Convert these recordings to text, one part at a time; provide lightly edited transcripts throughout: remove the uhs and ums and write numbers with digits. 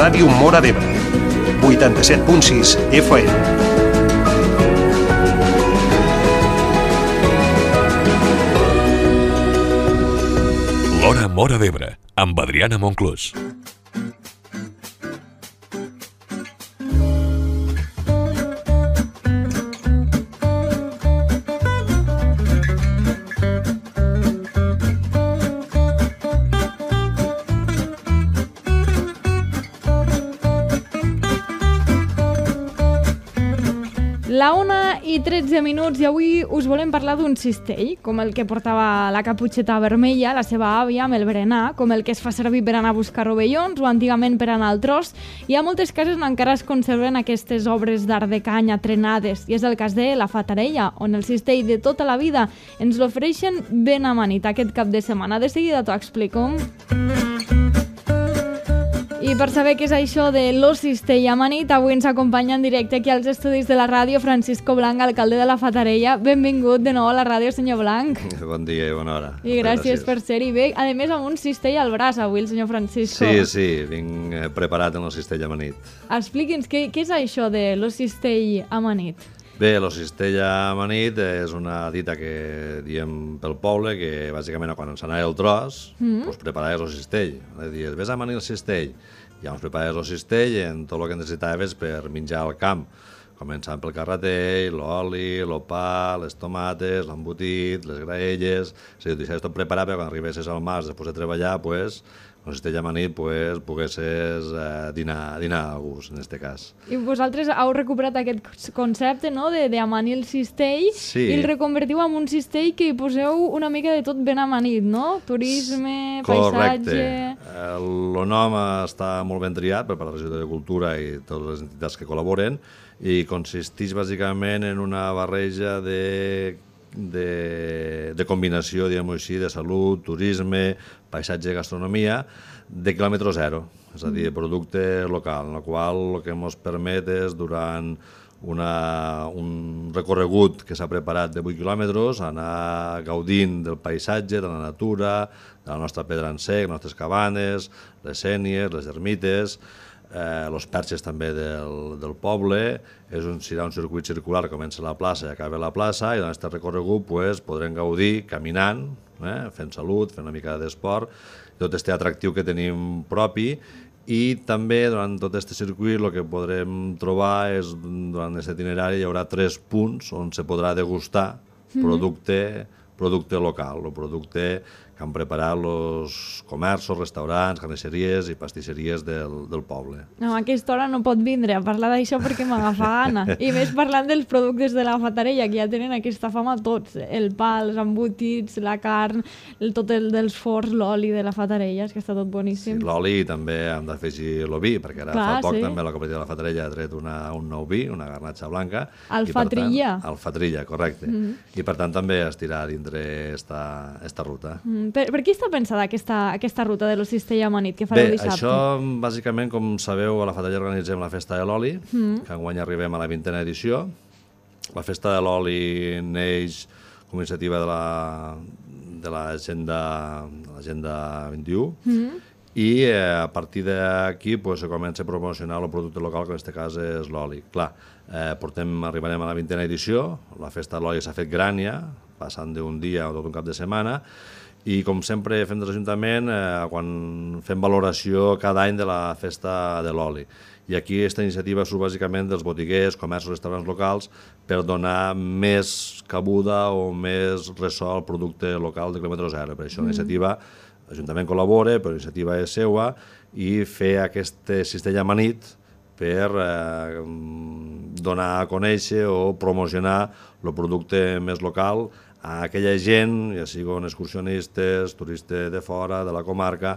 Ràdio Móra d'Ebre, 87.6 FM. L'Hora Móra d'Ebre, amb Adriana Monclús. La 1:13 i avui us volem parlar d'un cistell, com el que portava la caputxeta vermella, la seva àvia, amb el berenar, com el que es fa servir per anar a buscar rovellons o antigament per anar al tros. I a moltes cases encara es conserven aquestes obres d'art de canya trenades, i és el cas de la Fatarella, on el cistell de tota la vida ens l'ofereixen ben amanit aquest cap de setmana. De seguida t'ho explico. I per saber què és això de lo cistell amanit, avui ens acompanya en directe aquí als estudis de la ràdio Francisco Blanc, alcalde de la Fatarella. Benvingut de nou a la ràdio, senyor Blanc. Bon dia i bona hora. I gràcies per ser-hi. Bé, a més amb un cistell al braç avui, el senyor Francisco. Sí, vinc preparat en el cistell amanit. Expliqui'ns, què és això de lo cistell amanit? Bé, el cistell amanit és una dita que diem pel poble, que bàsicament quan ens anava el tros, doncs preparaves el cistell. Dius, vés a amanir el cistell. Ja ens preparaves el cistell en tot el que necessitaves per menjar al camp, començant pel carretell, l'oli, el pa, les tomates, l'embotit, les graelles. És a dir, deixaves tot preparat perquè quan arribessis al març després de treballar, doncs, el cistell amanit, poguessis dinar a gust, en aquest cas. I vosaltres heu recuperat aquest concepte, no?, d'amanir el cistell, sí. I el reconvertiu en un cistell que hi poseu una mica de tot ben amanit, no? Turisme, paisatge... Correcte. El nom està molt ben triat per part de la Regió de Cultura i totes les entitats que col·laboren i consisteix bàsicament en una barreja de combinació, diguem-ho així, de salut, turisme, paisatge i gastronomia, de quilòmetre zero, és a dir, de producte local, en el qual el que ens permet és, durant un recorregut que s'ha preparat de 8 quilòmetres, anar gaudint del paisatge, de la natura, de la nostra pedra en sec, les nostres cabanes, les sénies, les ermites, els perxes també del poble. Serà un circuit circular que comença a la plaça i acaba a la plaça, i en aquest recorregut podrem gaudir caminant, fent salut, fent una mica d'esport, tot aquest atractiu que tenim propi. I també durant tot aquest circuit el que podrem trobar és, durant aquest itinerari, hi haurà 3 punts on se podrà degustar producte local, el producte que han preparat els comerços, restaurants, carnisseries i pastisseries del poble. No, a aquesta hora no pot vindre a parlar d'això perquè m'agafa gana. I més parlant dels productes de la Fatarella, que ja tenen aquesta fama tots. El pa, els embotits, la carn, tot el dels forns, l'oli de la Fatarella, és que està tot boníssim. Sí, l'oli també hem d'afegir el vi, perquè ara fa poc també la cooperativa de la Fatarella ha tret un nou vi, una garnatxa blanca. El Fatrilla. El Fatrilla, correcte. I per tant també estirà dintre esta ruta. Per qui està pensada aquesta ruta de lo cistell amanit que fareu dissabte? Bé, això bàsicament, com sabeu, a la Fatarella organitzem la Festa de l'Oli, que enguany arribem a la 20a edició. La Festa de l'Oli neix com a iniciativa de l'Agenda 21, i a partir d'aquí se comença a promocionar el producte local, que en aquest cas és l'oli. Clar, arribarem a la 20a edició, la Festa de l'Oli s'ha fet gran ja, passant d'un dia o tot un cap de setmana, i com sempre fem des de l'Ajuntament, quan fem valoració cada any de la Festa de l'Oli. I aquí aquesta iniciativa surt bàsicament dels botiguers, comerços, restaurants locals, per donar més cabuda o més ressò al producte local de quilòmetre zero. Per això la iniciativa, l'Ajuntament col·labora, però la iniciativa és seva, i fer aquest cistell amanit per donar a conèixer o promocionar el producte més local a aquella gent, ja siguin excursionistes, turistes de fora, de la comarca,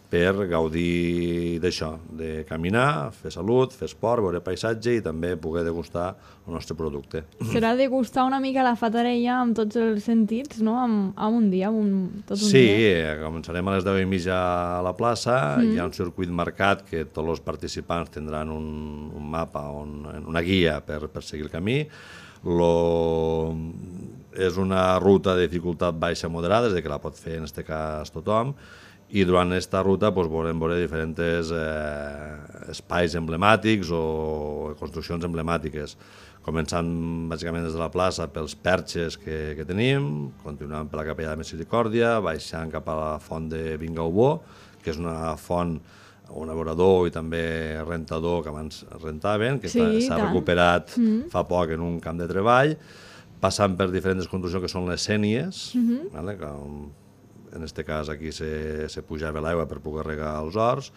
per gaudir d'això, de caminar, fer salut, fer esport, veure paisatge i també poder degustar el nostre producte. Serà degustar una mica la Fatarella amb tots els sentits, no?, amb un dia, tot un dia. Sí, començarem a les 10:30 a la plaça, hi ha un circuit marcat que tots els participants tindran un mapa, una guia per seguir el camí. És una ruta de dificultat baixa moderada, és a dir, que la pot fer en aquest cas tothom, i durant aquesta ruta volem veure diferents espais emblemàtics o construccions emblemàtiques, començant bàsicament des de la plaça pels perxes que tenim, continuant per la capella de Misericòrdia, baixant cap a la font de Vingaubó, que és una font, un abeurador i també rentador que abans rentaven, que s'ha recuperat fa poc en un camp de treball, passant per diferents construccions que són les sénies, que en aquest cas aquí se pujava l'aigua per poder regar els horts,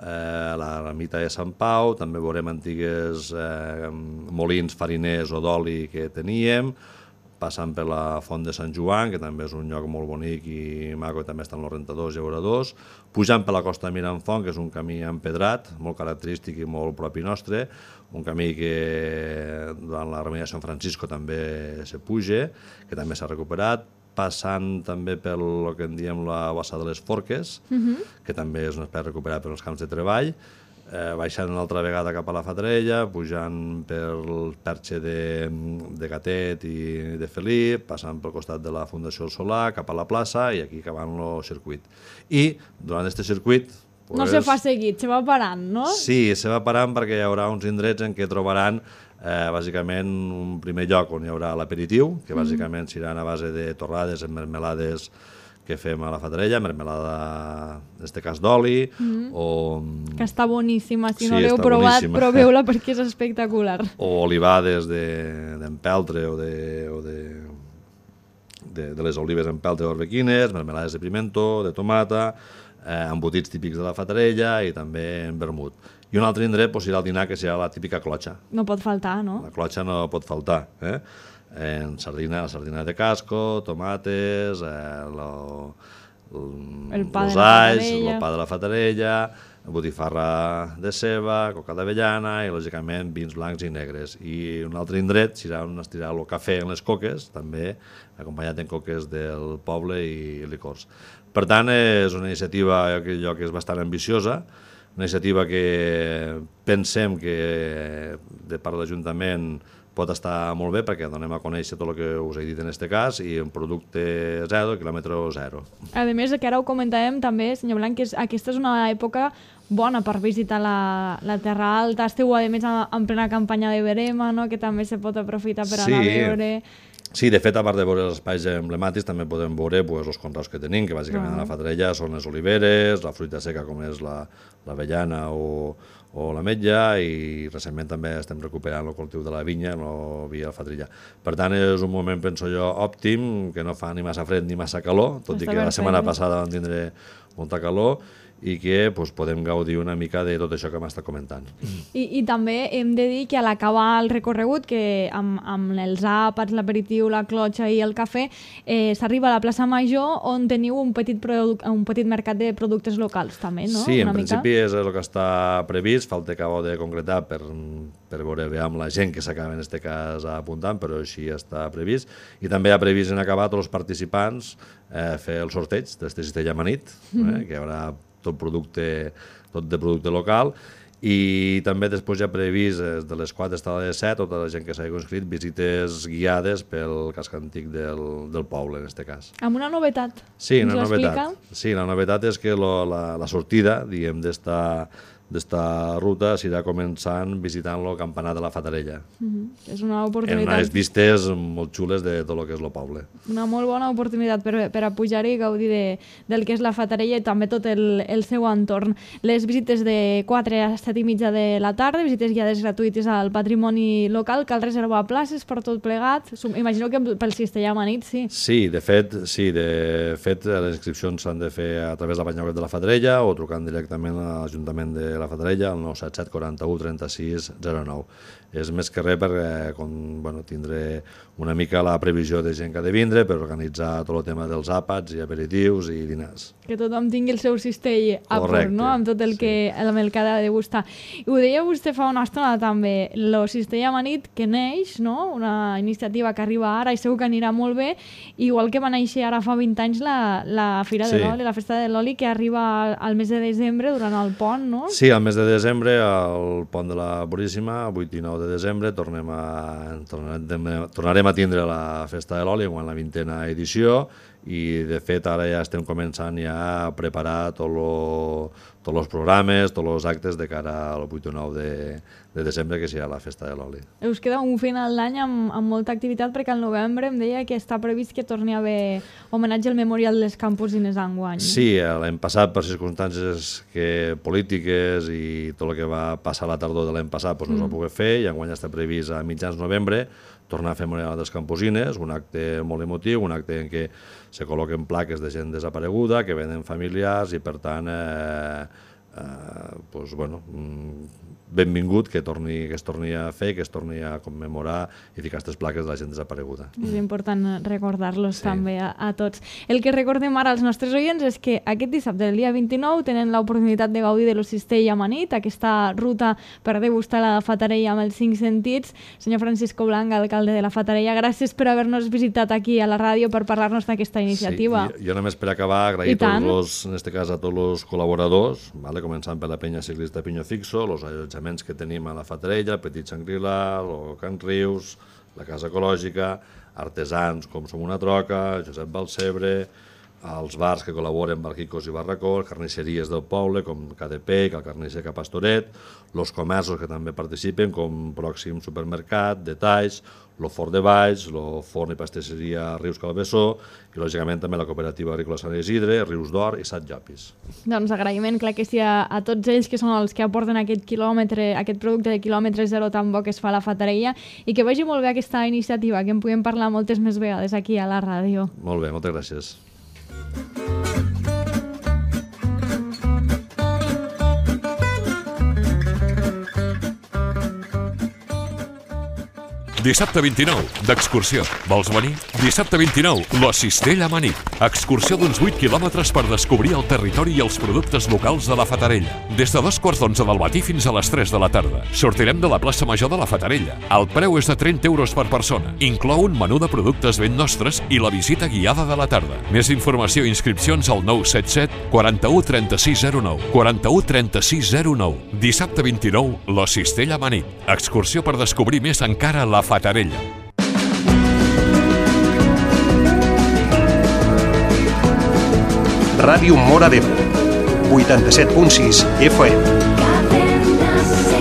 la ermita de Sant Pau, també veurem antigues molins fariners o d'oli que teníem, passant per la font de Sant Joan, que també és un lloc molt bonic i maco, i també estan els rentadors i abeuradors, pujant per la costa de Miramfont, que és un camí empedrat, molt característic i molt propi nostre, un camí que durant la Remenida de Sant Francisco també se puja, que també s'ha recuperat, passant també per el que en diem la Bassa de les Forques, que també és un espai recuperat per als camps de treball, baixant una altra vegada cap a la Fatarella, pujant pel perxe de Gatet i de Felip, passant pel costat de la Fundació El Solà, cap a la plaça i aquí acabant el circuit. I durant aquest circuit... No se fa seguit, se va parant, no? Sí, se va parant perquè hi haurà uns indrets en què trobaran bàsicament un primer lloc on hi haurà l'aperitiu, que bàsicament seran a base de torrades en mermelades que fem a la Fatarella, mermelada, en aquest cas d'oli, o... Que està boníssima, si no l'heu provat, proveu-la perquè és espectacular. O olivades d'empeltre o de les olives empeltre d'orbequines, mermelades de pimento, de tomata, embotits típics de la Fatarella i també en vermut. I un altre indret serà el dinar, que serà la típica clotxa. No pot faltar, no? La clotxa no pot faltar, en la sardina de casco, tomates, el pa de la Fatarella, botifarra de ceba, coca d'avellana i, lògicament, vins blancs i negres. I un altre indret serà on es tirarà el cafè en les coques, també acompanyat en coques del poble i licors. Per tant, és una iniciativa que és bastant ambiciosa, una iniciativa que pensem que de part de l'Ajuntament pot estar molt bé perquè donem a conèixer tot el que us he dit en aquest cas i un producte zero, quilòmetre zero. A més, que ara ho comentàvem també, senyor Blanc, que aquesta és una època bona per visitar la Terra Alta. Esteu, a més, en plena campanya de verema, no? Que també se pot aprofitar per anar a veure... Sí, de fet, a part de veure els espais emblemàtics, també podem veure els conreus que tenim, que bàsicament a la Fatarella són les oliveres, la fruita seca com és l'avellana o l'ametlla, i recentment també estem recuperant el cultiu de la vinya, no via la Fatarella. Per tant, és un moment, penso jo, òptim, que no fa ni massa fred ni massa calor, tot i que la setmana passada vam tindre molta calor, i que podem gaudir una mica de tot això que m'està comentant. I també hem de dir que a l'acabar el recorregut, que amb els àpats, l'aperitiu, la clotxa i el cafè, s'arriba a la plaça Major, on teniu un petit mercat de productes locals també, no? Sí, en principi és el que està previst, falta que acabo de concretar per veure amb la gent que s'acaba en aquest cas apuntant, però així està previst. I també ha previst en acabar tots els participants fer el sorteig d'este cistella amanit, que hi haurà tot de producte local, i també després ja previst de les 4 fins a les 7, tota la gent que s'ha inscrit, visites guiades pel casc antic del poble, en aquest cas. Amb una novetat. Sí, una novetat. Sí, la novetat és que la sortida, diguem, d'esta ruta s'irà començant visitant el campanar de la Fatarella. És una oportunitat. En unes vistes molt xules de tot el que és el poble. Una molt bona oportunitat per a pujar i gaudir del que és la Fatarella i també tot el seu entorn. Les visites de 4 a 7 i mitja de la tarda, visites guiades gratuïtes al patrimoni local, cal reservar places per tot plegat. Imagino que pel cistella amanit, sí. Sí, de fet, les inscripcions s'han de fer a través de la pàgina web de la Fatarella o trucant directament a l'Ajuntament de la Fatarella al 977 41 36 09. És més que res per tindre una mica la previsió de gent que ha de vindre per organitzar tot el tema dels àpats i aperitius i dinars. Que tothom tingui el seu cistell a punt, no? Amb tot el que ha de gustar. I ho deia vostè fa una estona també, el cistell amanit que neix, no? Una iniciativa que arriba ara i segur que anirà molt bé, igual que va néixer ara fa 20 anys la Fira de l'Oli, la Festa de l'Oli, que arriba al mes de desembre durant el pont, no? Sí, al mes de desembre, al pont de la Puríssima, 8 i 9 de desembre, tornarem a tindre la Festa de l'Oli, en la 20a edició, i de fet ara ja estem començant ja a preparar tots els programes, tots els actes de cara al 8 o 9 de desembre, que serà la Festa de l'Oli. Us queda un final d'any amb molta activitat, perquè al novembre em deia que està previst que torni a haver homenatge al Memorial dels Campusines enguany. Sí, l'any passat, per circumstàncies polítiques i tot el que va passar a la tardor de l'any passat, no es va poder fer, i enguany està previst a mitjans novembre tornar a fer Memorial dels Campusines, un acte molt emotiu, un acte en què se col·loquen plaques de gent desapareguda, que venen familiars, i per tant, benvingut que es torni a fer, que es torni a commemorar i ficar aquestes plaques de la gent desapareguda. És important recordar-los també a tots. El que recordem ara als nostres oients és que aquest dissabte, el dia 29, tenen l'oportunitat de gaudir de l'Ocistell amanit, aquesta ruta per degustar la Fatarella amb els 5 sentits. Senyor Francisco Blanc, alcalde de la Fatarella, gràcies per haver-nos visitat aquí a la ràdio per parlar-nos d'aquesta iniciativa. Sí, jo només per acabar agrair en este cas a tots els col·laboradors, començant per la penya ciclista Piño Fixo, els allotjaments que tenim a la Fatarella, el Petit Xangri-La, el Can Rius, la Casa Ecològica, artesans com Som una Troca, Josep Balcebre, els bars que col·laboren, Barquicos i Barracó, carnisseries del poble com KDP, el carnisser Capastoret, els comerços que també participen com Pròxim Supermercat, Detalls, el Fort de Valls, el Forn i Pastisseria Rius Calbessó i, lògicament, també la Cooperativa Agrícola Sant Isidre, Rius d'Or i Sant Llopis. Doncs agraïment, clar que sí, a tots ells que són els que aporten aquest producte de quilòmetre zero tan bo que es fa a la Fatarella, i que vagi molt bé aquesta iniciativa, que en puguem parlar moltes més vegades aquí a la ràdio. Molt bé, moltes gràcies. Dissabte 29, d'excursió. Vols venir? Dissabte 29, la Cistella amanit. Excursió d'uns 8 quilòmetres per descobrir el territori i els productes locals de la Fatarella. Des de 2:45 del matí fins a les 3 de la tarda. Sortirem de la plaça Major de la Fatarella. El preu és de 30 euros per persona. Inclou un menú de productes ben nostres i la visita guiada de la tarda. Més informació i inscripcions al 977 41 3609. 41 3609. Dissabte 29, la Cistella amanit. Excursió per descobrir més encara la Fatarella. Ràdio Móra d'Ebre, 87.6 FM.